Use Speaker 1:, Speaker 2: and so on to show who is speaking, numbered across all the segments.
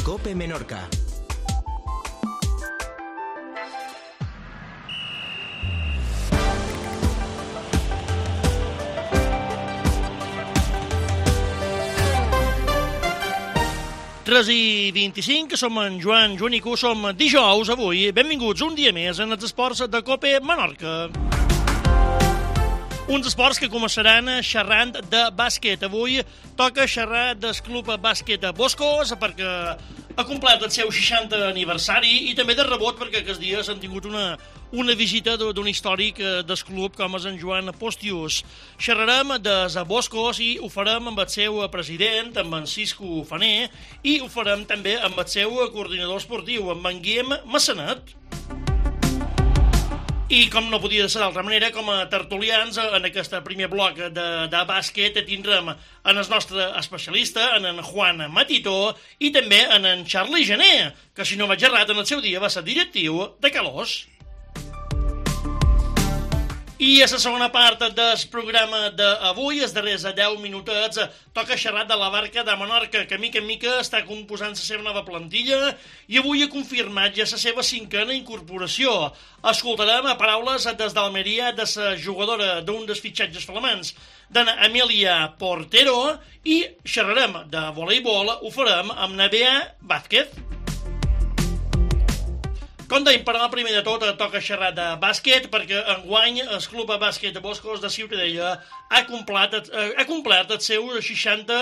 Speaker 1: COPE Menorca.
Speaker 2: Tres i 25, som en Joan i Cu, som dijous avui. Benvinguts un dia més en els esports de COPE Menorca. Uns esports que començaran xerrant de bàsquet. Avui toca xerrar del club bàsquet Boscos perquè ha complert el seu 60 aniversari i també de rebot perquè aquests dies han tingut una visita d'un històric del club com és en Joan Postius. Xerrarem des Boscos i ho farem amb el seu president, amb en Cisco Faner, i ho farem també amb el seu coordinador esportiu, amb en Guillem Massanet. I com no podia ser d'altra manera, com a tertulians, en aquest primer bloc de bàsquet tindrem en el nostre especialista, en Juan Matitó, i també en Charlie Gené, que si no vaig errat, en el seu dia va ser directiu de Calós. I a la segona part del programa d'avui, els darrers 10 minutets, toca xerrar de la Barca de Menorca, que mica en mica està composant la seva nova plantilla i avui ha confirmat ja la seva 5a incorporació. Escoltarem paraules des d'Almeria de la jugadora d'un dels fitxatges flamants, d'Ana Amelia Portero, i xerrarem de voleibol, ho farem amb Nabea Vázquez. Com dèiem, per al primer de tot, toca xerrar de bàsquet, perquè enguany el club bàsquet de Boscos de Ciutadella ha complert el seu 60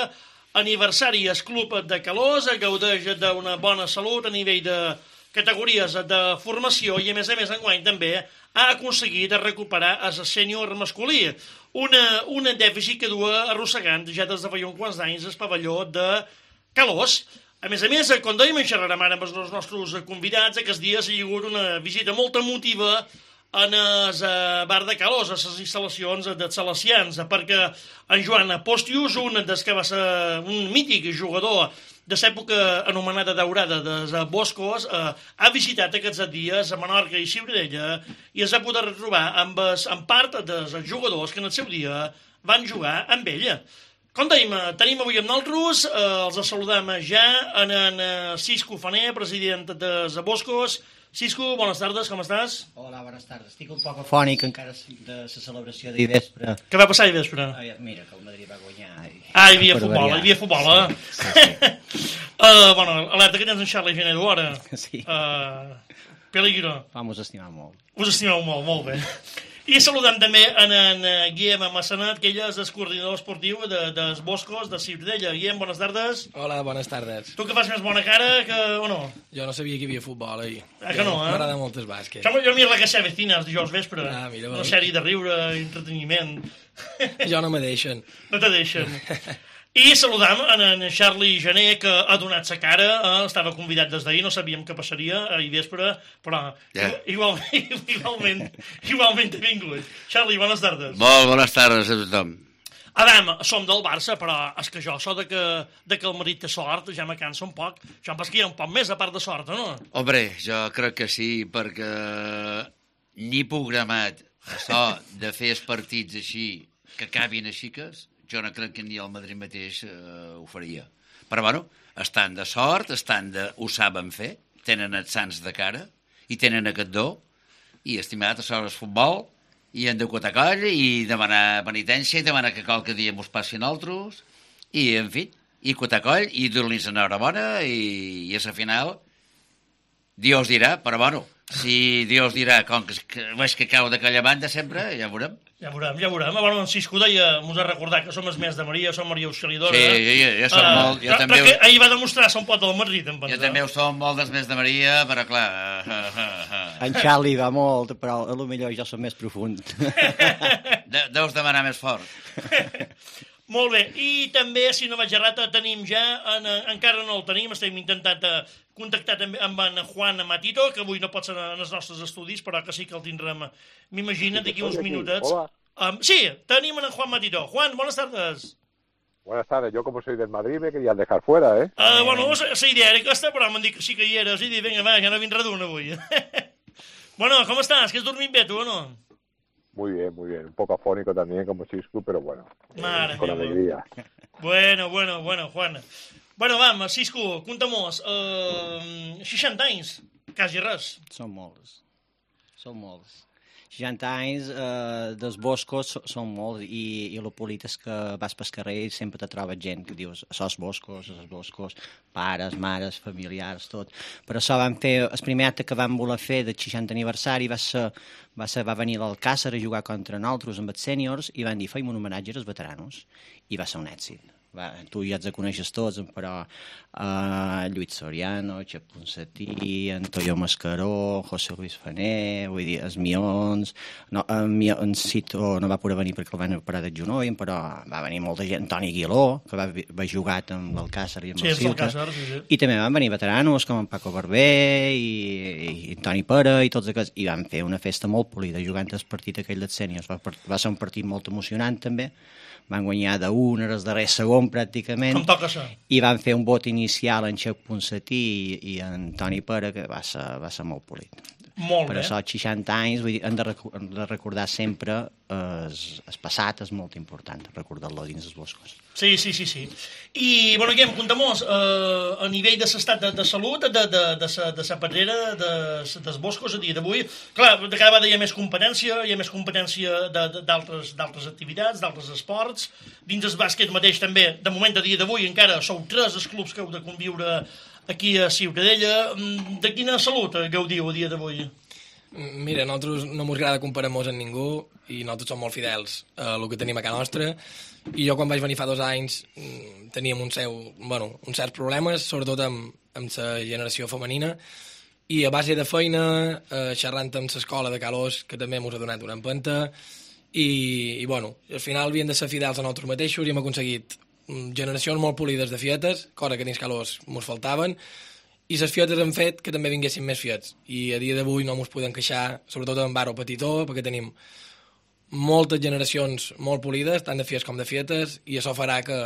Speaker 2: aniversari. El club de Calós gaudeix d'una bona salut a nivell de categories de formació i, a més, enguany també ha aconseguit recuperar el sènior masculí, un dèficit que du arrossegant ja des de fa uns quants anys el pavelló de Calós. A més, com dèiem, en xerrarem ara amb els nostres convidats. Aquests dies hi ha hagut una visita molt emotiva en el bar de Calós, a les instal·lacions dels Salesians, perquè en Joan Postius, un dels que va ser un mític jugador de l'època anomenada daurada dels Boscos, ha visitat aquests dies a Menorca i Ciutadella i es va poder retrobar amb part dels jugadors que en el seu dia van jugar amb ella. Com dèiem, tenim avui amb nosaltres, els saludem ja en Cisco Faner, president de Boscos. Cisco, bones tardes, com estàs?
Speaker 3: Hola, bones tardes. Estic un poc afònic encara de la celebració d'ahir vespre.
Speaker 2: Què va passar ahir vespre?
Speaker 3: Mira, que el Madrid va guanyar.
Speaker 2: Hi havia futbol, Sí. Bueno, alerta que tens en Charlie Gené d'hora.
Speaker 3: Sí.
Speaker 2: Peligro.
Speaker 3: Us estimeu molt.
Speaker 2: Us estimeu molt bé. I saludem també en Guillem Massanet, que ell és el coordinador esportiu dels Boscos de Ciutadella. Guillem, bones tardes.
Speaker 4: Hola, bones tardes.
Speaker 2: Tu que fas més bona cara o no?
Speaker 4: Jo no sabia que hi havia futbol ahir.
Speaker 2: Que no,
Speaker 4: M'agrada molt el bàsquet.
Speaker 2: Jo miro la Casa Vecina els dijous vespre.
Speaker 4: Mira,
Speaker 2: una sèrie de riure, entreteniment.
Speaker 4: Jo no me deixen.
Speaker 2: No te deixen. I saludam en Charlie Gené, que ha donat sa cara, estava convidat des d'ahir, no sabíem què passaria ahir vespre, però igualment ha vingut. Charlie, bones tardes.
Speaker 5: Molt bones tardes a tothom.
Speaker 2: Adam, som del Barça, però és que jo, això de que el Madrid té sort, ja me cansa un poc. Això em passa que hi ha un poc més, a part de sort, no?
Speaker 5: Hombre, jo crec que sí, perquè ni programat això de fer els partits així, que acabin així jo no crec que ni el Madrid mateix ho faria. Però, bueno, estan de sort, ho saben fer, tenen els sants de cara, i tenen aquest do, i estimat, això és futbol, i hem de cotar coll, i demanar penitència, i demanar que qualque dia mos passi a nosaltres, i, en fi, i cotar coll, i dur-los enhorabona, i a la final, Dios dirà, però, bueno, si Dios dirà, com que veig que cau d'aquella banda sempre, ja veurem.
Speaker 2: Ja veurem. Bueno, en Cisco deia, m'ho ha recordat que som els més de Maria, som Maria Auxiliadora.
Speaker 5: Sí, jo som molt...
Speaker 2: Però que ahir va demostrar ser un pot del Madrid, em pensa.
Speaker 5: Jo també ho som molt dels més de Maria, però clar...
Speaker 3: En Charlie va molt, però potser jo som més profund.
Speaker 5: Deus demanar més fort.
Speaker 2: Molt bé, i també, si no vaig errat, tenim ja, encara no el tenim, estem intentant contactar també amb en Juan Matito, que avui no pot ser en els nostres estudis, però que sí que el tindrem, m'imagina, d'aquí uns minutets.
Speaker 6: Hola.
Speaker 2: Sí, tenim en Juan Matito. Juan, buenas tardes.
Speaker 6: Buenas tardes, yo como soy del Madrid me querían dejar fuera, ¿eh?
Speaker 2: Bueno, la idea era aquesta, però m'han dit que sí que hi eres, i dic, vinga, va, ja no vindrà d'un avui. Bueno, com estàs? Que has dormit bé, tu, o no?
Speaker 6: Muy bien, muy bien. Un poco afónico también como Cisco, pero bueno,
Speaker 2: Madre
Speaker 6: con
Speaker 2: mía.
Speaker 6: alegría.
Speaker 2: Bueno, Juan. Bueno, vam, Cisco, conta-mos. 60 anys, quasi res.
Speaker 3: Són molts. 60 anys dels boscos són molts i el polit és que vas pel carrer i sempre te trobes gent que dius els boscos, pares, mares, familiars, tot. Per això vam fer, el primer acte que vam voler fer del 60 aniversari va venir l'Alcàsser a jugar contra nosaltres amb els sèniors i van dir feim un homenatge als veteranos i va ser un èxit. Tu ja els coneixes tots, però Lluís Soriano, Xep Ponsatí, Antonio Mascaró, José Luis Fané, vull dir, els Mions, en Cito no va poder venir perquè el van operar del genoll, però va venir molta gent, Antoni Aguiló, que va jugar amb l'Alcàsser i amb el Ceuta, i també van venir veteranos com en Paco Barber i Toni Pera i tots aquests, i van fer una festa molt polida jugant el partit aquell dels sèniors, va ser un partit molt emocionant també, van guanyar d'1 en el darrer segon pràcticament,
Speaker 2: com toca ser.
Speaker 3: I van fer un vot inicial en Xep Ponsatí i en Toni Pera que va ser molt polit.
Speaker 2: Molt
Speaker 3: per
Speaker 2: bé.
Speaker 3: això 60 anys, vull dir, hem de recordar sempre el passat, és molt important recordar-lo dins dels boscos.
Speaker 2: Sí. I, bueno, Guillem, conta-mos, a nivell de l'estat de salut, de la pedrera, dels boscos a dia d'avui, clar, de cada vegada hi ha més competència d'altres activitats, d'altres esports, dins el bàsquet mateix també, de moment a dia d'avui encara sou 3 els clubs que heu de conviure aquí a Ciutadella. De quina salut gaudiu a dia d'avui?
Speaker 4: Mira, nosaltres no ens agrada comparar-nos amb ningú i nosaltres som molt fidels a el que tenim a casa nostra. I jo quan vaig venir fa 2 anys teníem uns certs problemes, sobretot amb la generació femenina, i a base de feina, xerrant amb l'escola de Calós, que també ens ha donat una empenta, i bueno, al final havien de ser fidels a nosaltres mateixos i hem aconseguit generacions molt polides de fietes, cosa que dins Calós ens faltaven, i les fietes han fet que també vinguessin més fiets, i a dia d'avui no ens podem queixar, sobretot en Baro Petitó, perquè tenim moltes generacions molt polides, tant de fiets com de fietes, i això farà que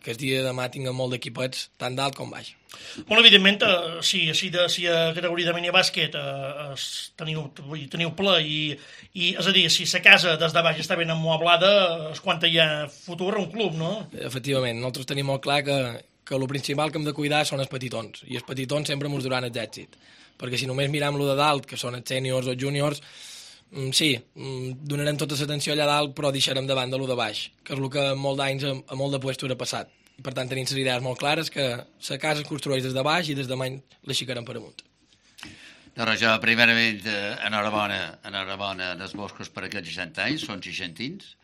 Speaker 4: el dia de demà tinguem molt d'equipets, tant d'alt com baix.
Speaker 2: Bueno, evidentment, si a categoria de minibàsquet teniu ple i és a dir, si la casa des de baix està ben ammueblada, és quan hi ha futur a un club, no?
Speaker 4: Efectivament, nosaltres tenim molt clar que el principal que hem de cuidar són els petitons, i els petitons sempre ens duran els èxit, perquè si només miram lo de dalt, que són els sèniors o els júniors, sí, donarem tota l'atenció allà dalt, però deixarem de banda lo de baix, que és el que molt d'anys a molt de puestos ha passat. Per tant, tenim les idees molt clares que la casa es construeix des de baix i des de demà l'aixecarem per amunt.
Speaker 5: Doncs jo, primerament, enhorabona dels boscos per aquests 60 anys, són 60anys.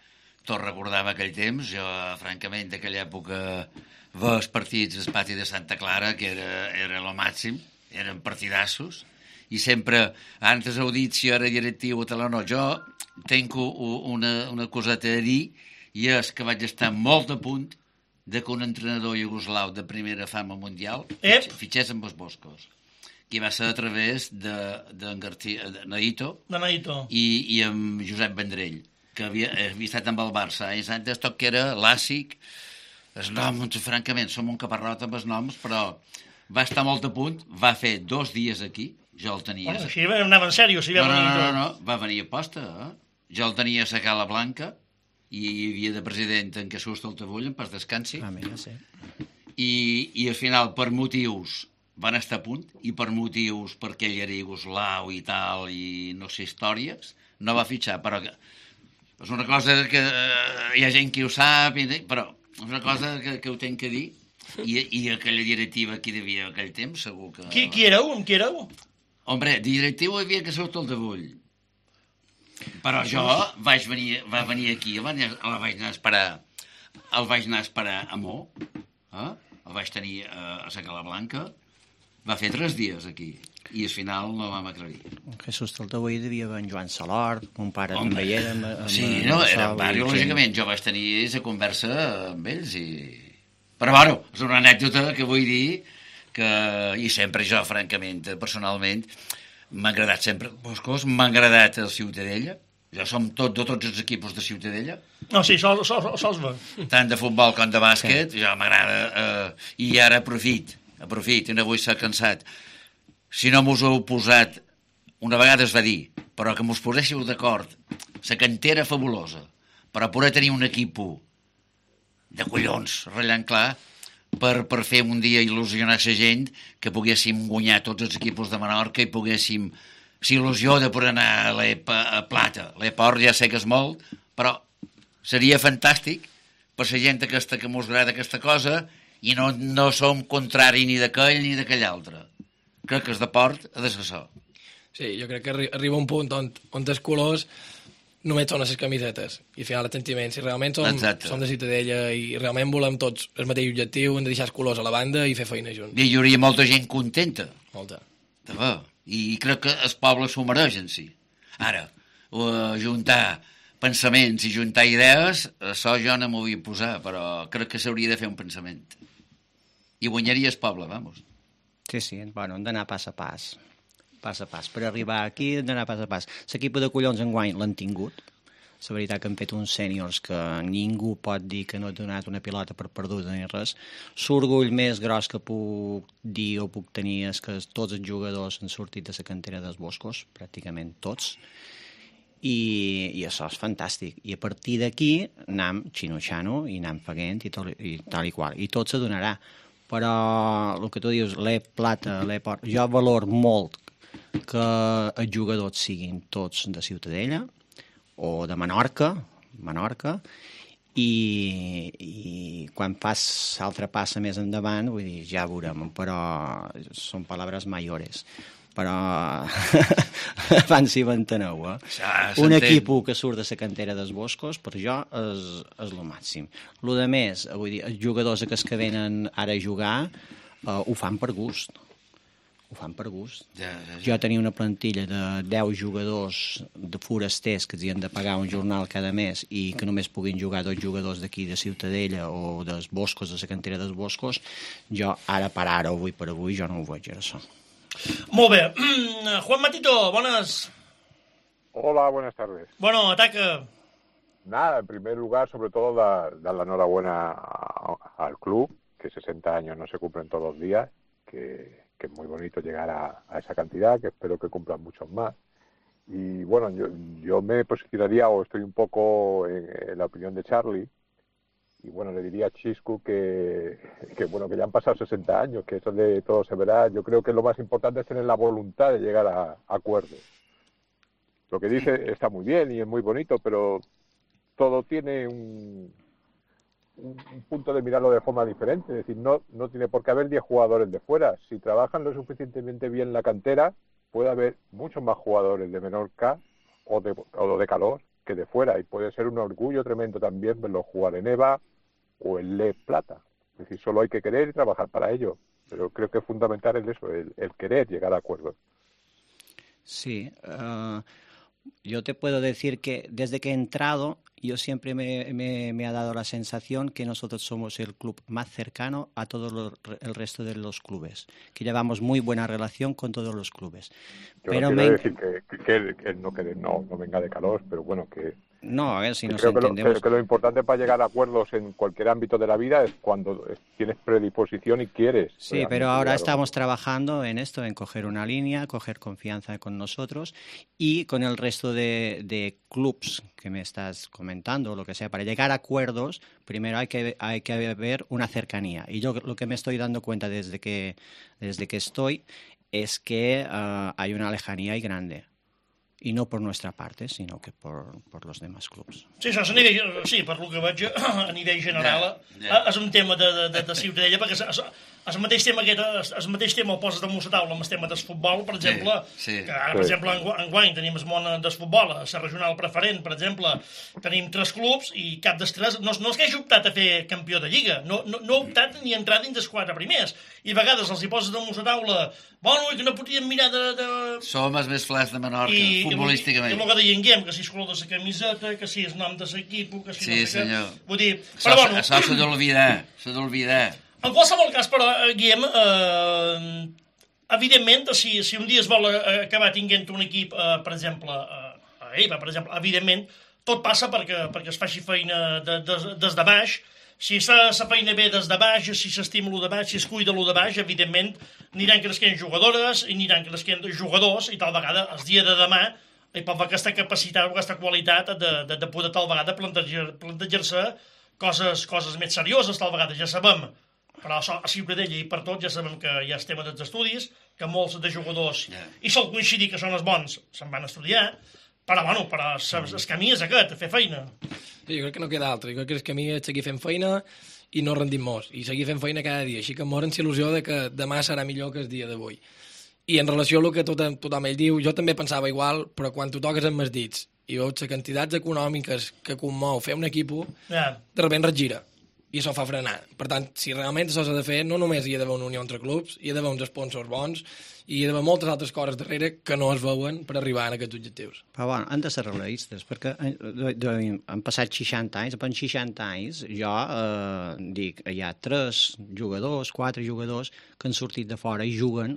Speaker 5: Tot recordava aquell temps, jo, francament, d'aquella època, veure els partits al pati de Santa Clara, que era el màxim, eren partidassos, i sempre, antes heu dit si era directiu o tal o no, jo tinc una coseta a dir, i és que vaig estar molt a punt de que un entrenador iugoslau de primera fama mundial fitxés amb els boscos, que va ser a través de Naito i amb Josep Vendrell, que havia estat amb el Barça anys antes, tot que era l'àssic, els noms, francament, som un caparrot amb els noms, però va estar molt a punt, va fer 2 dies aquí, jo el tenia...
Speaker 2: Bueno, així anava en sèrio, si va venir...
Speaker 5: No, va venir a posta, jo el tenia a la Cala Blanca, i hi havia de president en Jesús Taltabull, en pas descansi, i al final, per motius, van estar a punt, i per motius perquè ell era iugoslau i tal, i no sé, històries, no va fitxar, però és una cosa que hi ha gent que ho sap, però és una cosa que ho tenc que dir, i aquella directiva que hi havia aquell temps, segur que...
Speaker 2: Qui éreu? Amb qui éreu?
Speaker 5: Hombre, directiu hi havia Jesús Taltabull. Però jo va venir aquí, el vaig anar a esperar a Mo, el vaig tenir a la Cala Blanca, va fer 3 dies aquí, i al final no vam aclarir.
Speaker 3: Jesús Taltabull devia haver en Joan Salort, mon pare també hi era...
Speaker 5: Sí, no, era lògicament, jo vaig tenir la conversa amb ells, però bueno, és una anècdota que vull dir que, i sempre jo, francament, personalment, m'ha agradat sempre Boscos, m'ha agradat el Ciutadella, jo som de tots els equipos de Ciutadella.
Speaker 2: No, sí, sols va.
Speaker 5: Tant de futbol com de bàsquet, jo m'agrada, i ara aprofit, i no vull ser cansat. Si no m'us heu posat, una vegada es va dir, però que m'us poséssiu d'acord, la cantera fabulosa, per a poder tenir un equip de collons, ratllant clar, per fer un dia il·lusionar la gent, que poguéssim guanyar tots els equips de Menorca i poguéssim il·lusió de poder anar a l'E-Plata. L'E-Port ja sé que és molt, però seria fantàstic per la gent aquesta que mos agrada aquesta cosa i no som contrari ni d'aquell ni d'aquell altre. Crec que el deport ha de ser això.
Speaker 4: Sí, jo crec que arriba un punt on els colors només són les camisetes i al final els sentiments. Si realment som de Ciutadella i realment volem tots el mateix objectiu, hem de deixar els colors a la banda i fer feina junts.
Speaker 5: I hi hauria molta gent contenta.
Speaker 4: Molta.
Speaker 5: I crec que el poble s'ho mereix en si. Ara, juntar pensaments i juntar idees, això jo no m'ho vull posar, però crec que s'hauria de fer un pensament. I guanyaria el poble, vamos.
Speaker 3: Sí, bueno, hem d'anar pas a pas. Pas a pas. Per arribar aquí hem d'anar pas a pas. L'equip de collons enguany l'han tingut. La veritat que han fet uns sèniors que ningú pot dir que no ha donat una pilota per perduda ni res. L'orgull més gros que puc dir o puc tenir és que tots els jugadors han sortit de la cantera dels Boscos, pràcticament tots, i això és fantàstic. I a partir d'aquí anem xino-xano i anem faguent i tal i qual. I tot se donarà. Però el que tu dius, l'E-Plata, l'E-Port, jo valor molt que els jugadors siguin tots de Ciutadella o de Menorca, i quan fas l'altra passa més endavant, vull dir, ja veurem, però són paraules mayores. Però abans si m'enteneu, un equip que surt de la cantera dels Boscos, per jo és el màxim. El de més, vull dir, els jugadors que venen ara a jugar ho fan per gust. Jo tenia una plantilla de 10 jugadors de forasters que havien de pagar un jornal cada mes i que només puguin jugar 2 jugadors d'aquí de Ciutadella o dels Boscos, de la cantera dels Boscos. Jo ara per ara, avui per avui, jo no ho veig, això.
Speaker 2: Molt bé. Juan Matito, bones.
Speaker 6: Hola, buenas tardes.
Speaker 2: Bueno, ataca.
Speaker 6: Nada, en primer lugar, sobre todo, dar la enhorabuena al club, que 60 años no se cumplen todos los días, que es muy bonito llegar a esa cantidad, que espero que cumplan muchos más. Y bueno, yo me posicionaría, o estoy un poco en la opinión de Charlie, y bueno, le diría a Chiscu que bueno, que ya han pasado 60 años, que eso de todo se verá. Yo creo que lo más importante es tener la voluntad de llegar a acuerdos. Lo que dice está muy bien y es muy bonito, pero todo tiene un punto de mirarlo de forma diferente. Es decir, no tiene por qué haber 10 jugadores de fuera. Si trabajan lo suficientemente bien la cantera, puede haber muchos más jugadores de Menorca o de Calós que de fuera. Y puede ser un orgullo tremendo también verlos jugar en EVA o en Le-Plata. Es decir, solo hay que querer y trabajar para ello. Pero creo que es fundamental eso, el querer llegar a acuerdos.
Speaker 3: Sí, yo te puedo decir que desde que he entrado, yo siempre me ha dado la sensación que nosotros somos el club más cercano a todo el resto de los clubes, que llevamos muy buena relación con todos los clubes.
Speaker 6: Yo pero no quiero decir que no venga de Calós, pero bueno, que...
Speaker 3: No, a ver si nos
Speaker 6: creo
Speaker 3: entendemos.
Speaker 6: Que lo importante para llegar a acuerdos en cualquier ámbito de la vida es cuando tienes predisposición y quieres.
Speaker 3: Sí, pero ahora estamos trabajando en esto, en coger una línea, coger confianza con nosotros y con el resto de clubs que me estás comentando, lo que sea. Para llegar a acuerdos, primero hay que haber una cercanía. Y yo lo que me estoy dando cuenta desde que estoy es que hay una lejanía y grande. I no per nostra part, sinó que per los demás clubs.
Speaker 2: Sí, això és a nivell, sí, per lo que veig a nivell general, és un tema de Ciutadella, perquè el mateix tema el poses damunt la taula amb el tema del futbol, per exemple, que ara, per exemple, enguany tenim el món del futbol, la regional preferent, per exemple, tenim 3 clubs i cap dels 3, no és que hagi optat a fer campió de Lliga, no ha optat ni a entrar dins dels 4 primers, i a vegades els hi poses damunt la taula, bueno, que no podíem mirar de...
Speaker 5: Som els més flats de Menorca, futbolísticament.
Speaker 2: I el que diguem, que si és color de la camiseta, que si és nom de l'equip, que si
Speaker 5: sí,
Speaker 2: no sé
Speaker 5: senyor.
Speaker 2: Què. Vull dir, però bueno...
Speaker 5: Això s'ha d'olvidar,
Speaker 2: En qualsevol cas, però, Guillem, evidentment, si un dia es vol acabar tinguent un equip, per exemple, a EVA, per exemple, evidentment, tot passa perquè es faci feina des de baix. Si es fa la feina bé des de baix, si s'estima lo de baix, si es cuida lo de baix, evidentment, aniran creixent jugadores i aniran creixent jugadors i tal vegada, el dia de demà, hi pot haver aquesta capacitat o aquesta qualitat de poder tal vegada plantejar-se coses més serioses, tal vegada. Ja sabem però a Ciutadella i per tot ja sabem que hi ha el tema dels estudis, que molts de jugadors, i sol coincidir que són els bons, se'n van estudiar, però bueno, el camí és aquest, fer feina.
Speaker 4: Sí, jo crec que no queda altre, jo crec que el camí és seguir fent feina i no rendim molts, i seguir fent feina cada dia, així que morem il·lusió de que demà serà millor que el dia d'avui. I en relació a el que tothom ell diu, jo també pensava igual, però quan tu toques amb els dits i veus les quantitats econòmiques que commou fer un equip, de repente regira, i això fa frenar. Per tant, si realment això s'ha de fer, no només hi ha d'haver una unió entre clubs, hi ha d'haver uns sponsors bons, i hi ha d'haver moltes altres coses darrere que no es veuen per arribar a aquests objectius.
Speaker 3: Però bueno, han de ser realistes, perquè han passat 60 anys, en 60 anys jo dic, hi ha 4 jugadors que han sortit de fora i juguen,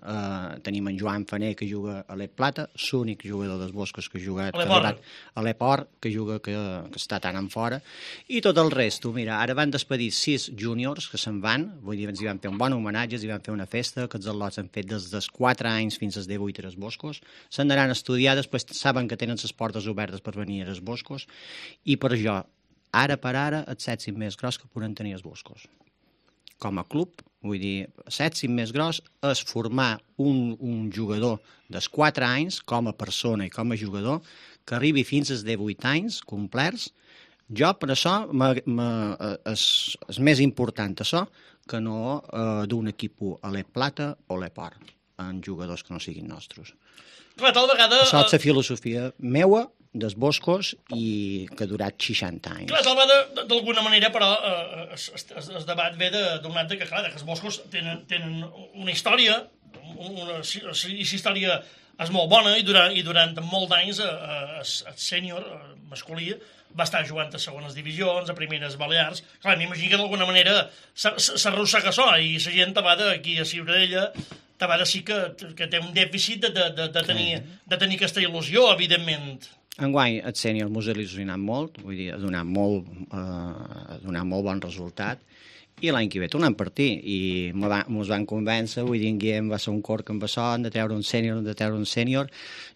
Speaker 3: tenim en Joan Faner que juga a l'Ep Plata, l'únic jugador dels Boscos que ha jugat a l'Eport, que juga que està tan en fora, i tot el resto, mira, ara van despedir 6 júniors que se'n van, vull dir, ens hi van fer un bon homenatge, ens hi van fer una festa, que els al·lots han fet des dels 4 anys fins als 18 a les Boscos, se'n anaran a estudiar, després saben que tenen les portes obertes per venir a les Boscos, i per això, ara per ara, el sèptim més gros que podran tenir els Boscos. Com a club, vull dir, el sèptim més gros és formar un jugador dels 4 anys, com a persona i com a jugador, que arribi fins als 18 anys complerts. Jo, per això, és més important això que no d'un equip a l'Ep Plata o l'Eport, en jugadors que no siguin nostres.
Speaker 2: Clar, tal vegada...
Speaker 3: Això és la filosofia meua, dels Boscos, i que ha durat 60 anys.
Speaker 2: Clar, tal vegada, d'alguna manera, però, el debat ve d'un altre que, clar, que els Boscos tenen una història, i la història és molt bona, i durant molts anys el sènior masculí va estar jugant a segones divisions, a primeres Balears. Clar, m'imagino que d'alguna manera s'arrossega això, i la gent va aquí a Ciutadella Tavada sí que té un dèficit de tenir aquesta il·lusió, evidentment.
Speaker 3: Enguany, el sènior mos ha il·lusionat molt, vull dir, ha donat molt bon resultat, i l'any que ve tornem a partir, i mos van convèncer, vull dir, en Guillem va ser un cor que amb això, han de treure un sènior,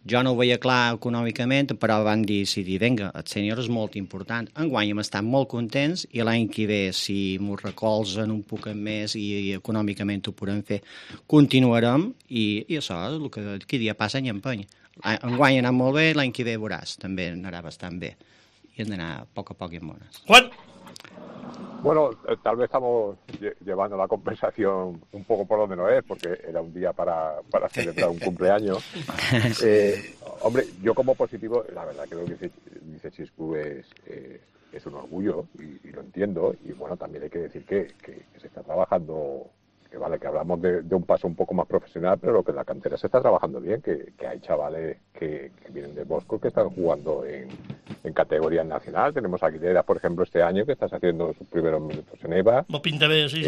Speaker 3: jo no ho veia clar econòmicament, però van dir, vinga, el sènior és molt important. Enguany hem estat molt contents, i l'any que ve, si mos recolzen un poc més i econòmicament ho podem fer, continuarem, i això és el que cada dia passa any empeny. Enguany ha anat molt bé, l'any que ve veuràs, també anarà bastant bé, i hem d'anar a poc i amb bones.
Speaker 2: Juan?
Speaker 6: Bueno, tal vez estamos llevando la conversación un poco por donde no es, porque era un día para celebrar un cumpleaños. Hombre, yo como positivo, la verdad que lo que dice Chiscu es un orgullo, y lo entiendo, y bueno, también hay que decir que se está trabajando, que vale, que hablamos de un paso un poco más profesional, pero lo que en la cantera se está trabajando bien, que hay chavales que vienen de Bosco que están jugando en categoría nacional. Tenemos a Aguilera, por ejemplo, este año, que está haciendo sus primeros minutos en EVA.
Speaker 2: Lo pinta bien, sí.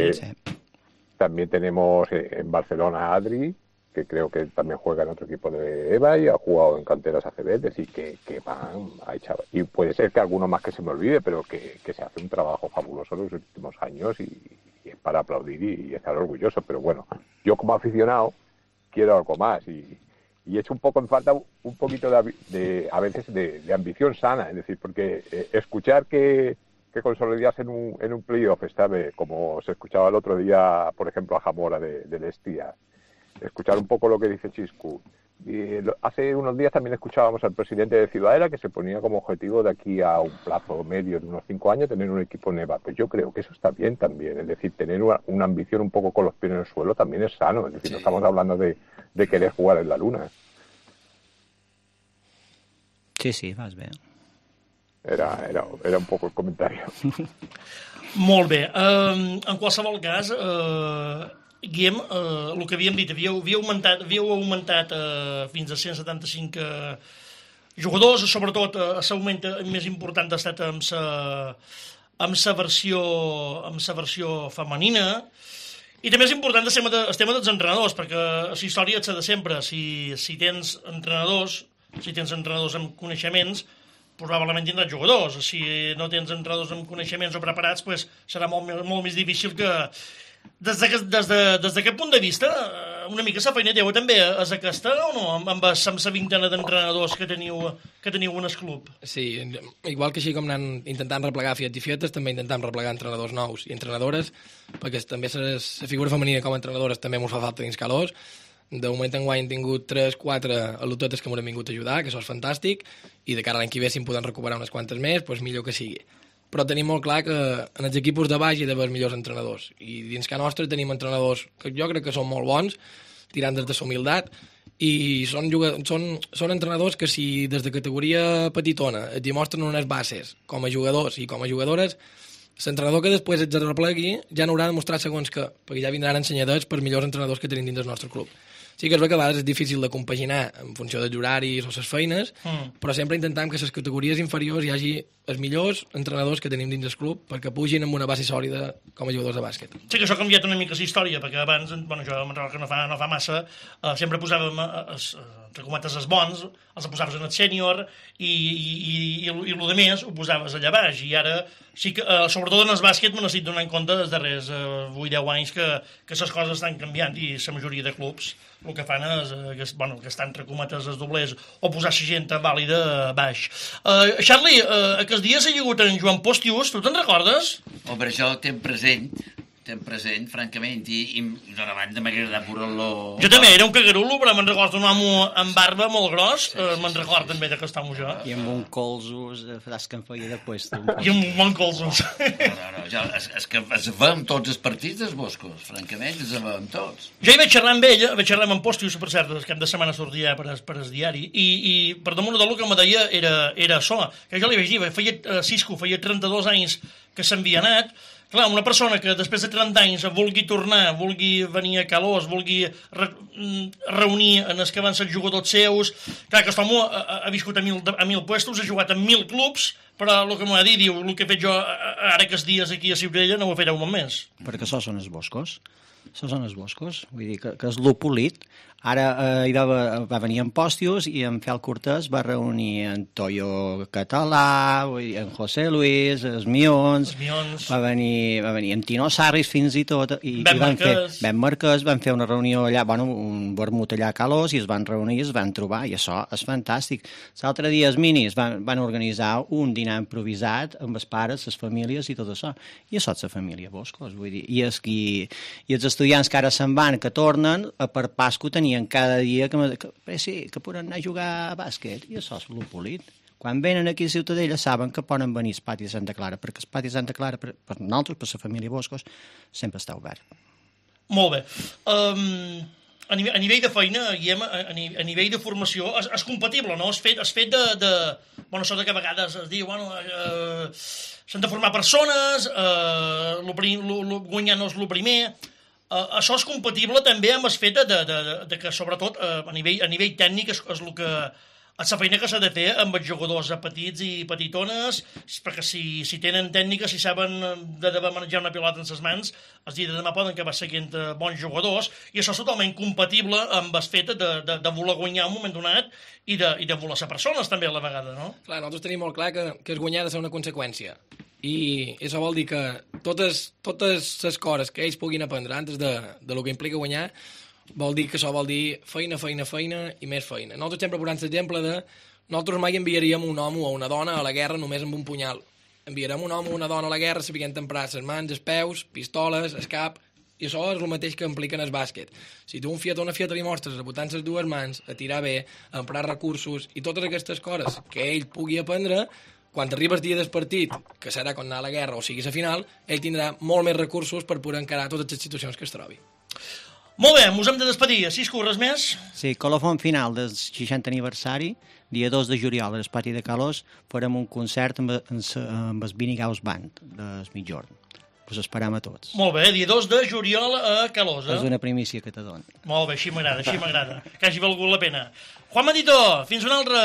Speaker 6: También tenemos en Barcelona a Adri, que creo que también juega en otro equipo de EVA y ha jugado en canteras ACB, es decir, que van a echar. Y puede ser que alguno más que se me olvide, pero que se hace un trabajo fabuloso en los últimos años y es para aplaudir y estar orgulloso. Pero bueno, yo como aficionado quiero algo más y echo un poco en falta un poquito a veces de ambición sana, es decir, porque escuchar que consolidas en un playoff esta vez, como se escuchaba el otro día, por ejemplo, a Jamora del Estia, escuchar un poco lo que dice Chiscu. Y hace unos días también escuchábamos al presidente de Ciudadela que se ponía como objetivo de aquí a un plazo medio de unos 5 años tener un equipo NEVA. Pues yo creo que eso está bien también, es decir, tener una ambición un poco con los pies en el suelo también es sano, es decir, no estamos hablando de querer jugar en la luna.
Speaker 3: Sí, vas bé.
Speaker 6: Era un poco el comentario.
Speaker 2: Molt bé. En qualsevol cas, Guillem, el que havíem dit, havíeu augmentat fins a 175 jugadors, sobretot l'augment més important ha estat amb la versió femenina, i també és important el tema dels entrenadors, perquè la història és de sempre. Si tens entrenadors amb coneixements, probablement tindràs jugadors. Si no tens entrenadors amb coneixements o preparats, serà molt més difícil que... Des d'aquest punt de vista, una mica la feina teva també és aquesta o no? Amb la vintena d'entrenadors que teniu en el club.
Speaker 4: Sí, igual que així com anem intentant replegar fiets i fietes, també intentem replegar entrenadors nous i entrenadores, perquè també la figura femenina com a entrenadores també ens fa falta dins Calós. De moment enguany hem tingut 3-4 al·lotetes que m'han vingut a ajudar, que això és fantàstic, i de cara a l'any que ve si en podem recuperar unes quantes més, doncs millor que sigui. Però tenim molt clar que en els equips de baix hi ha d'haver els millors entrenadors. I dins que nostre tenim entrenadors que jo crec que són molt bons, tirant des de la humilitat, i són entrenadors que si des de categoria petitona et demostren unes bases com a jugadors i com a jugadores, l'entrenador que després ets replegui ja no haurà de mostrar segons que, perquè ja vindran ensenyadors per millors entrenadors que tenim dins del nostre club. Sí que és que a vegades és difícil de compaginar en funció dels horaris o les feines, però sempre intentem que a les categories inferiors hi hagi els millors entrenadors que tenim dins del club perquè pugin amb una base sòlida com a jugadors de bàsquet.
Speaker 2: Sí que això ha canviat una mica la història, perquè abans, bueno, jo me'n recordo que no fa massa, sempre posàvem, entre cometes, els bons, els posaves en el sènior i el de més ho posaves allà baix. I ara sí que, sobretot en el bàsquet, me n'estic donant compte dels darrers 8-10 anys que les coses estan canviant i la majoria de clubs el que fan és que estan entre cometes els doblers o posar la gent vàlida baix. Charlie, aquests dies ha hagut en Joan Postius, tu te'n recordes?
Speaker 5: Home, això ten present, francament, i d'una banda m'ha agradat veure-lo...
Speaker 2: Jo també, era un cagarulo, però me'n recordo un home amb barba molt gros, me'n recordo també d'aquest home jo.
Speaker 3: I amb un colzos, fràs que em feia de puesto.
Speaker 2: I amb un bon colzos.
Speaker 5: No, ja, és que es veiem tots els partits dels Boscos, francament, els veiem tots.
Speaker 2: Jo hi vaig xerrar amb ell, vaig xerrar amb en Postius, per cert, el cap de setmana sortia per el diari, i per damunt del que me deia era això, que jo li vaig dir, Cisco, feia 32 anys que s'havia anat. Clar, una persona que després de 30 anys vulgui tornar, vulgui venir a Calós, vulgui reunir en els que van ser jugadors seus... Clar, que aquest home ha viscut a 1.000 puestos, ha jugat en 1.000 clubs, però el que m'ha dit, diu, el que he fet jo ara aquests dies aquí a Ciutadella no ho faré un més.
Speaker 3: Perquè això són els Boscos. Això són els Boscos. Vull dir que és lo polit. Ara va venir en Postius i en Fel Cortés va reunir en Toyo Català, en José Luis, els Mions, va venir en Tino Sarris fins i tot, i Ben Marquès, van fer una reunió allà, un vermut allà a Calós, i es van reunir i es van trobar, i això és fantàstic. L'altre dia els minis van organitzar un dinar improvisat amb els pares, les famílies i tot això, i això és la família Boscos, vull dir, i els estudiants que ara se'n van, que tornen, per Pasco tenien cada dia que poden anar a jugar a bàsquet, i això és el polit. Quan venen aquí a Ciutadella saben que poden venir al pati de Santa Clara, perquè el pati de Santa Clara, per nosaltres, per la família Boscos, sempre està obert.
Speaker 2: Molt bé. A nivell de feina, a nivell de formació, és compatible, no? És fet de... Bueno, això que a vegades es diu, s'han de formar persones, guanyar no és el primer... Això és compatible també amb el fet de que, sobretot, a nivell tècnic és el que... És la feina que s'ha de fer amb els jugadors petits i petitones, perquè si tenen tècnica, si saben de manejar una pilota en les mans, el dia de demà poden acabar seguint bons jugadors, i això és totalment compatible amb el fet de voler guanyar un moment donat i de voler ser persones també a la vegada, no?
Speaker 4: Clar, nosaltres tenim molt clar que es guanyar ha de ser una conseqüència. I això vol dir que totes les coses que ells puguin aprendre antes de lo que implica guanyar, vol dir que això vol dir feina i més feina. Nosaltres sempre posem l'exemple de nosaltres mai enviaríem un home o una dona a la guerra només amb un punyal. Enviarem un home o una dona a la guerra sabent emprar les mans, els peus, pistoles, el cap, i això és el mateix que implica en el bàsquet. Si tu un fiat o una fiata li mostres a botar les dues mans, a tirar bé, a emprar recursos i totes aquestes coses que ell pugui aprendre, quan arriba el dia del partit, que serà quan anar a la guerra o sigui la final, ell tindrà molt més recursos per poder encarar totes les situacions que es trobi.
Speaker 2: Molt bé, ens hem de despedir. Cisco, res més?
Speaker 3: Sí, colofon final del 60 aniversari, dia 2 de juliol, al pati de Calós, farem un concert amb el Vinigaus Band, del Mitjorn. Us esperam a tots.
Speaker 2: Molt bé, dia 2 de juliol a Calós.
Speaker 3: És una primícia que te dono.
Speaker 2: Molt bé, així m'agrada. Que hagi valgut la pena. Juan Matito, fins una altra.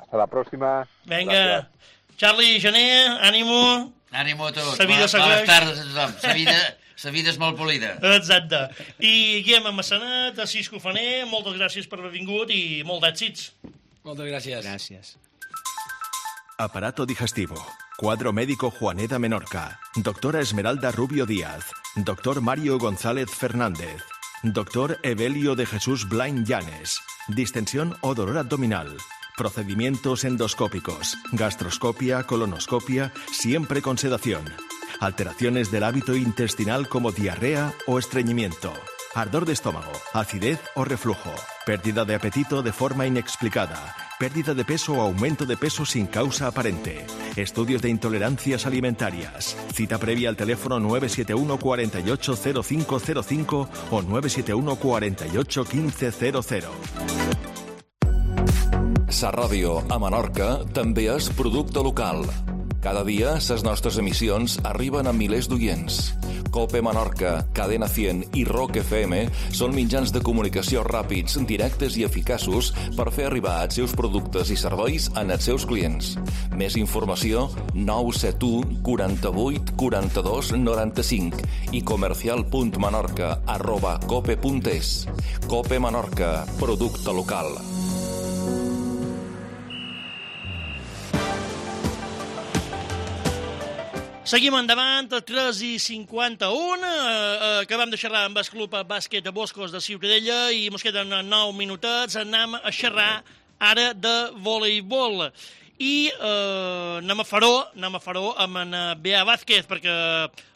Speaker 6: Hasta la próxima.
Speaker 2: Vinga.
Speaker 6: Gracias.
Speaker 2: Charlie, Gené, ànimo.
Speaker 5: Ànimo a tots.
Speaker 2: Bones
Speaker 5: tardes a tothom. La vida és molt polida.
Speaker 2: Exacte. I Guillem Massanat, a Cisco Faner, moltes gràcies per haver vingut i molt d'èxits.
Speaker 4: Moltes gràcies.
Speaker 3: Gràcies.
Speaker 1: Aparato digestivo. Cuadro médico Juaneda Menorca. Doctora Esmeralda Rubio Díaz. Doctor Mario González Fernández. Doctor Evelio de Jesús Blain Llanes. Distensión o dolor abdominal. Procedimientos endoscópicos. Gastroscopia, colonoscopia, siempre con sedación. Alteraciones del hábito intestinal como diarrea o estreñimiento. Ardor de estómago, acidez o reflujo. Pérdida de apetito de forma inexplicada. Pérdida de peso o aumento de peso sin causa aparente. Estudios de intolerancias alimentarias. Cita previa al teléfono 971 48 0505 o 971 48 1500.
Speaker 7: Sa Ràdio a Menorca també és producte local. Cada dia, les nostres emissions arriben a milers d'oients. COPE Menorca, Cadena 100 i ROC FM són mitjans de comunicació ràpids, directes i eficaços per fer arribar els seus productes i serveis als seus clients. Més informació 971 48 42 95 i comercial.menorca@cope.es. COPE Menorca, producte local.
Speaker 2: Seguim endavant, a 3:51, acabem de xerrar amb el Club Bàsquet de Boscos de Ciutadella i ens queden 9 minutets, anem a xerrar ara de voleibol. I anem a faró amb en Bea Vázquez, perquè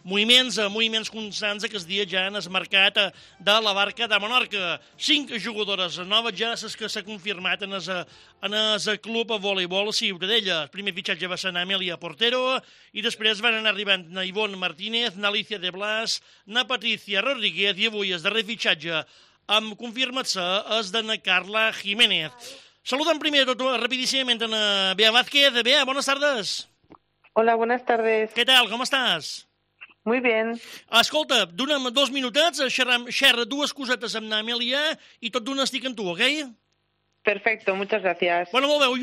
Speaker 2: moviments constants aquests dies ja han esmarcat de la Barca de Menorca. 5 jugadores noves ja les que s'ha confirmat en el club a voleibol Ciutadella. El primer fitxatge va ser Amèlia Portero i després van anar arribant na Ivonne Martínez, na Alicia de Blas, na Patricia Rodríguez i avui el darrer fitxatge amb confirmat-se és de na Carla Jiménez. Saludem primer de tot rapidíssimament a Bea Vázquez. Bea, buenas tardes.
Speaker 8: Hola, buenas tardes.
Speaker 2: Què tal, com estàs?
Speaker 8: Muy bien.
Speaker 2: Escolta, dona'm 2 minutets, xerra 2 cosetes amb Amèlia i tot d'una estic amb tu, ok?
Speaker 8: Perfecto, muchas gracias.
Speaker 2: Bueno, molt bé, ho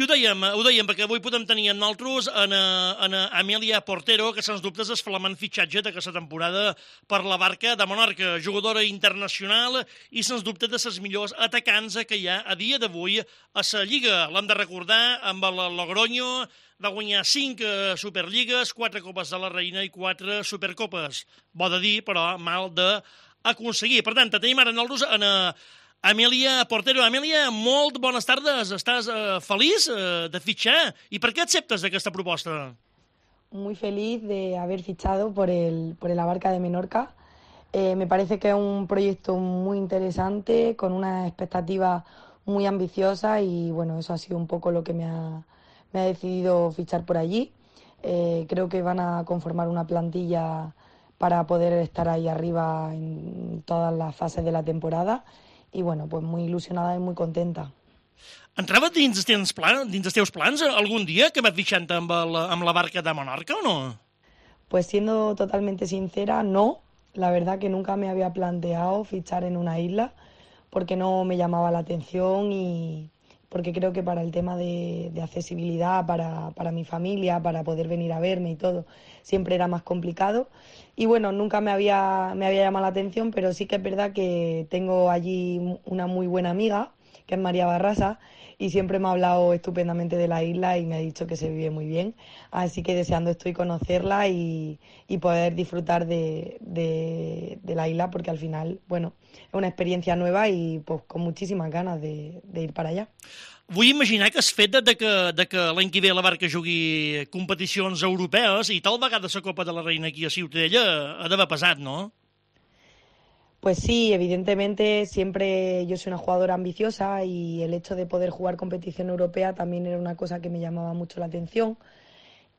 Speaker 2: dèiem, perquè avui podem tenir amb nosaltres en Amèlia Portero, que sens dubtes és flamant fitxatge d'aquesta temporada per la Barca de Menorca, jugadora internacional i sens dubte de les millors atacants que hi ha a dia d'avui a la Lliga. L'hem de recordar amb el Logroño, va guanyar 5 Superligues, 4 Copes de la Reina i 4 Supercopes. Bo de dir, però mal d'aconseguir. Per tant, tenim ara nosaltres en Amèlia Portero. Amèlia, molt bones tardes. Estàs feliç de fitxar? I per què acceptes aquesta proposta?
Speaker 9: Muy feliz de haber fichado por el Barca de Menorca. Me parece que es un proyecto muy interesante, con una expectativa muy ambiciosa y bueno, eso ha sido un poco lo que me ha decidido fichar por allí. Creo que van a conformar una plantilla para poder estar ahí arriba en todas las fases de la temporada. I, bueno, pues muy il·lusionada i muy contenta.
Speaker 2: Entrava dins els teus plans algun dia que vas fitxant amb la Barca de Menorca o no?
Speaker 9: Pues siendo totalmente sincera, no. La verdad que nunca me había planteado fichar en una isla porque no me llamaba la atención y porque creo que para el tema de accesibilidad para mi familia, para poder venir a verme y todo, siempre era más complicado. Y bueno, nunca me había llamado la atención, pero sí que es verdad que tengo allí una muy buena amiga, que es María Barrasa, y siempre me ha hablado estupendamente de la isla y me ha dicho que se vive muy bien. Así que deseando estoy conocerla y poder disfrutar de la isla, porque al final, bueno, es una experiencia nueva y pues con muchísimas ganas de ir para allá.
Speaker 2: Vull imaginar que el fet de que l'any que ve la Barca jugui competicions europees i tal vegada la Copa de la Reina aquí a Ciutadella ha d'haver pesat, no?
Speaker 9: Pues sí, evidentemente siempre yo soy una jugadora ambiciosa y el hecho de poder jugar competición europea también era una cosa que me llamaba mucho la atención.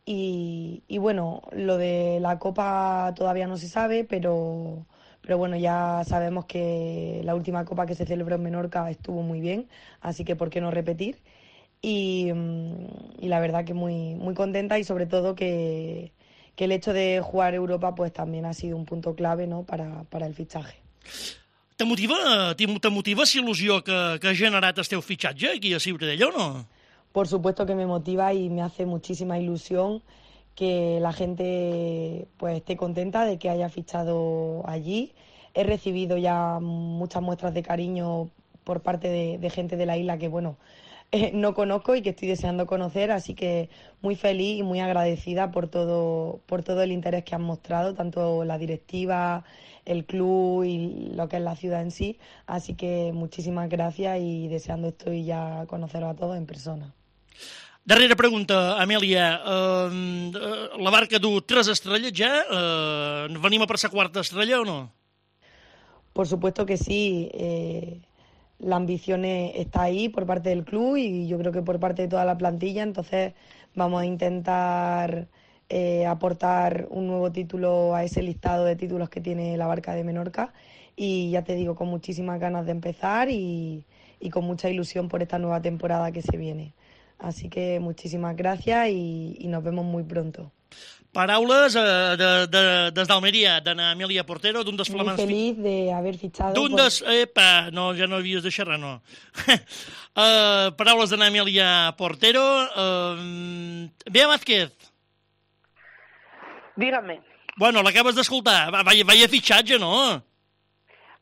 Speaker 9: Y bueno, lo de la Copa todavía no se sabe, pero bueno, ya sabemos que la última Copa que se celebró en Menorca estuvo muy bien, así que ¿por qué no repetir? Y la verdad que muy, muy contenta y sobre todo que el hecho de jugar Europa pues también ha sido un punto clave, ¿no?, para el fichaje.
Speaker 2: Te motiva la il·lusió que ha generat el teu fitxatge aquí a Ciutadella o no?
Speaker 9: Por supuesto que me motiva y me hace muchísima ilusión que la gente pues esté contenta de que haya fichado allí. He recibido ya muchas muestras de cariño por parte de gente de la isla que, bueno, no conozco y que estoy deseando conocer, así que muy feliz y muy agradecida por todo el interés que han mostrado, tanto la directiva, el club y lo que es la ciudad en sí. Así que muchísimas gracias y deseando estoy ya conoceros a todos en persona.
Speaker 2: Darrera pregunta, Amèlia. La barca du 3 estrelles ja? Venim a per sa quarta estrella o no?
Speaker 9: Por supuesto que sí. La ambición está ahí por parte del club y yo creo que por parte de toda la plantilla. Entonces vamos a intentar aportar un nuevo título a ese listado de títulos que tiene la barca de Menorca. Y ya te digo, con muchísimas ganas de empezar y con mucha ilusión por esta nueva temporada que se viene. Así que muchísimas gracias y nos vemos muy pronto.
Speaker 2: Paraules des d'Almeria, d'Anna Amèlia Portero, d'un dels flamants...
Speaker 9: Muy feliz de haver fichado...
Speaker 2: Epa, no, ja no havies de xerrar, no. Paraules d'Anna Amèlia Portero. Bea Vázquez.
Speaker 8: Dígame.
Speaker 2: Bueno, l'acabes d'escoltar. Vaya fitxatge, ¿no?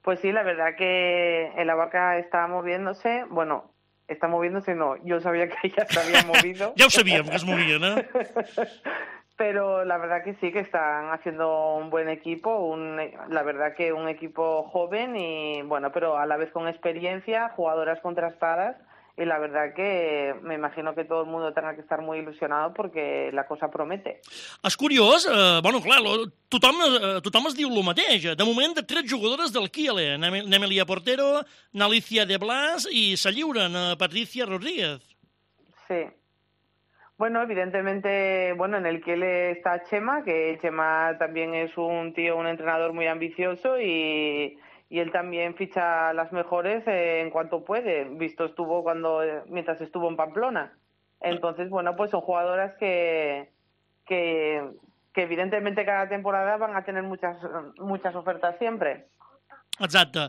Speaker 8: Pues sí, la verdad que en la barca está moviéndose, bueno... Está moviéndose, no. Yo sabía que ella se había movido.
Speaker 2: Ja ho sabíem, que es movia, ¿no?
Speaker 8: Pero la verdad que sí, que están haciendo un buen equipo. La verdad que un equipo joven y, bueno, pero a la vez con experiencia, jugadoras contrastadas. Y la verdad que me imagino que todo el mundo tenga que estar muy ilusionado porque la cosa promete.
Speaker 2: És curiós, bueno, clar, tothom es diu el mateix. De moment, 3 jugadores del Kiele, n'Amèlia Portero, n'Alicia de Blas i se lliuren a Patricia Rodríguez.
Speaker 8: Sí. Bueno, evidentemente, en el Kiele está Chema, que Chema también es un entrenador muy ambicioso y él también ficha las mejores en cuanto puede. Visto estuvo mientras estuvo en Pamplona. Entonces, pues son jugadoras que evidentemente cada temporada van a tener muchas ofertas siempre.
Speaker 2: Exacte.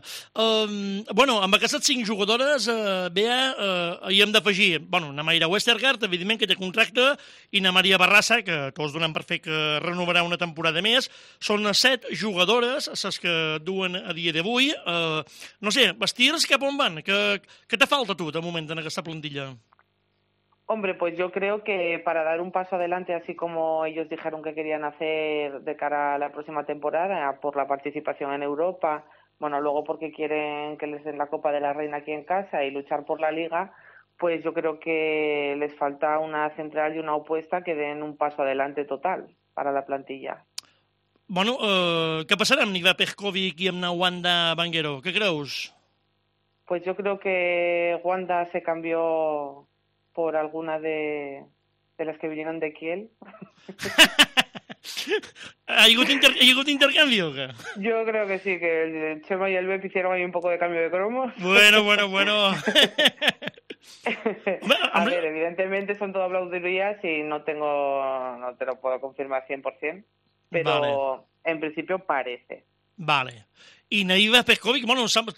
Speaker 2: Bueno, amb aquestes 5 jugadores, Bea, hi hem d'afegir, na Mayra Westergaard, evidentment, que té contracte, i na Maria Barrassa, que tots donem per fet que renovarà una temporada més. Són 7 jugadores, les que duen a dia d'avui. No sé, vestirs cap on van? Què te falta a tu, de moment, en aquesta plantilla?
Speaker 8: Hombre, pues yo creo que para dar un paso adelante, así como ellos dijeron que querían hacer de cara a la próxima temporada, por la participación en Europa, luego porque quieren que les den la Copa de la Reina aquí en casa y luchar por la Liga, pues yo creo que les falta una central y una opuesta que den un paso adelante total para la plantilla.
Speaker 2: Bueno, què passarà amb Niva Pejkovic i amb na Wanda Banguero? Què creus?
Speaker 8: Pues yo creo que Wanda se cambió por alguna de las que vinieron de Kiel.
Speaker 2: ¿Ha hagut intercambio o qué?
Speaker 8: Yo creo que sí, que el Chema y el Bep hicieron ahí un poco de cambio de cromos.
Speaker 2: Bueno.
Speaker 8: A ver, evidentemente son todo aplaudirías y no te lo puedo confirmar 100%, pero vale. En principio parece.
Speaker 2: Vale. I Niva Pejkovic,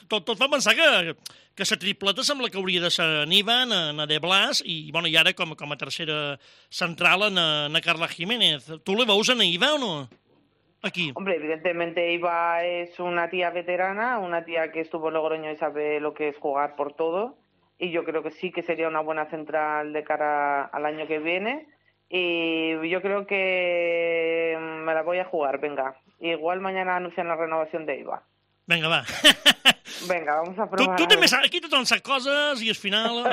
Speaker 2: tot fa pensar que la tripleta sembla que hauria de ser Niva, na De Blas, i ara com a tercera central na Carla Jiménez. Tu le veus a Niva o no? Aquí.
Speaker 8: Hombre, evidentemente Iva es una tía veterana, una tía que estuvo en Logroño y sabe lo que es jugar por todo, y yo creo que sí que sería una buena central de cara al año que viene, y yo creo que me la voy a jugar, venga. Igual mañana anuncian la renovación de Iva.
Speaker 2: Venga, va.
Speaker 8: Venga, vamos a probar.
Speaker 2: Tu també saps, aquí tothom sap coses i al final...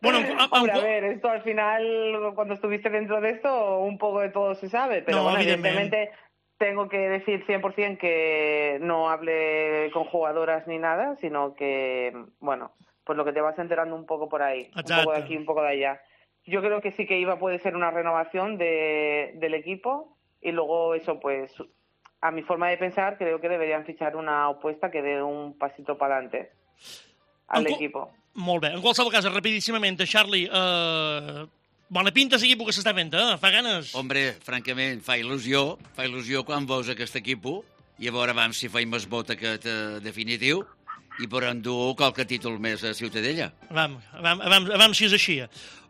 Speaker 8: Hombre, a ver, esto al final, cuando estuviste dentro de esto, un poco de todo se sabe, pero no, evidentemente tengo que decir 100% que no hable con jugadoras ni nada, sino que, pues lo que te vas enterando un poco por ahí, exacto. Un poco de aquí, un poco de allá. Yo creo que sí que Iva puede ser una renovación del equipo y luego eso, pues, a mi forma de pensar, creo que deberían fichar una opuesta que dé un pasito para adelante al equipo.
Speaker 2: Molt bé. En qualsevol cas, rapidíssimament, Charlie, bona pinta l'equip que s'està fent, fa ganes?
Speaker 5: Hombre, francament, fa il·lusió quan veus aquest equip i a veure si faim més vot aquest definitiu i per endur qualque títol més a Ciutadella.
Speaker 2: Vam si és així.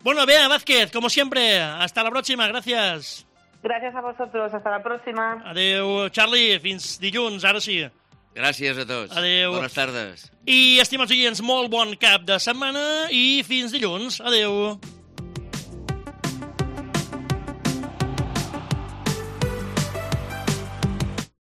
Speaker 2: Bueno, Bea Vázquez, como siempre, hasta la próxima, gracias.
Speaker 8: Gracias a vosotros, hasta la próxima.
Speaker 2: Adeu, Charlie, fins dilluns, ara sí.
Speaker 5: Gràcies a tots.
Speaker 2: Adeu.
Speaker 5: Bones tardes.
Speaker 2: I, estimats oients, molt bon cap de setmana i fins dilluns. Adeu.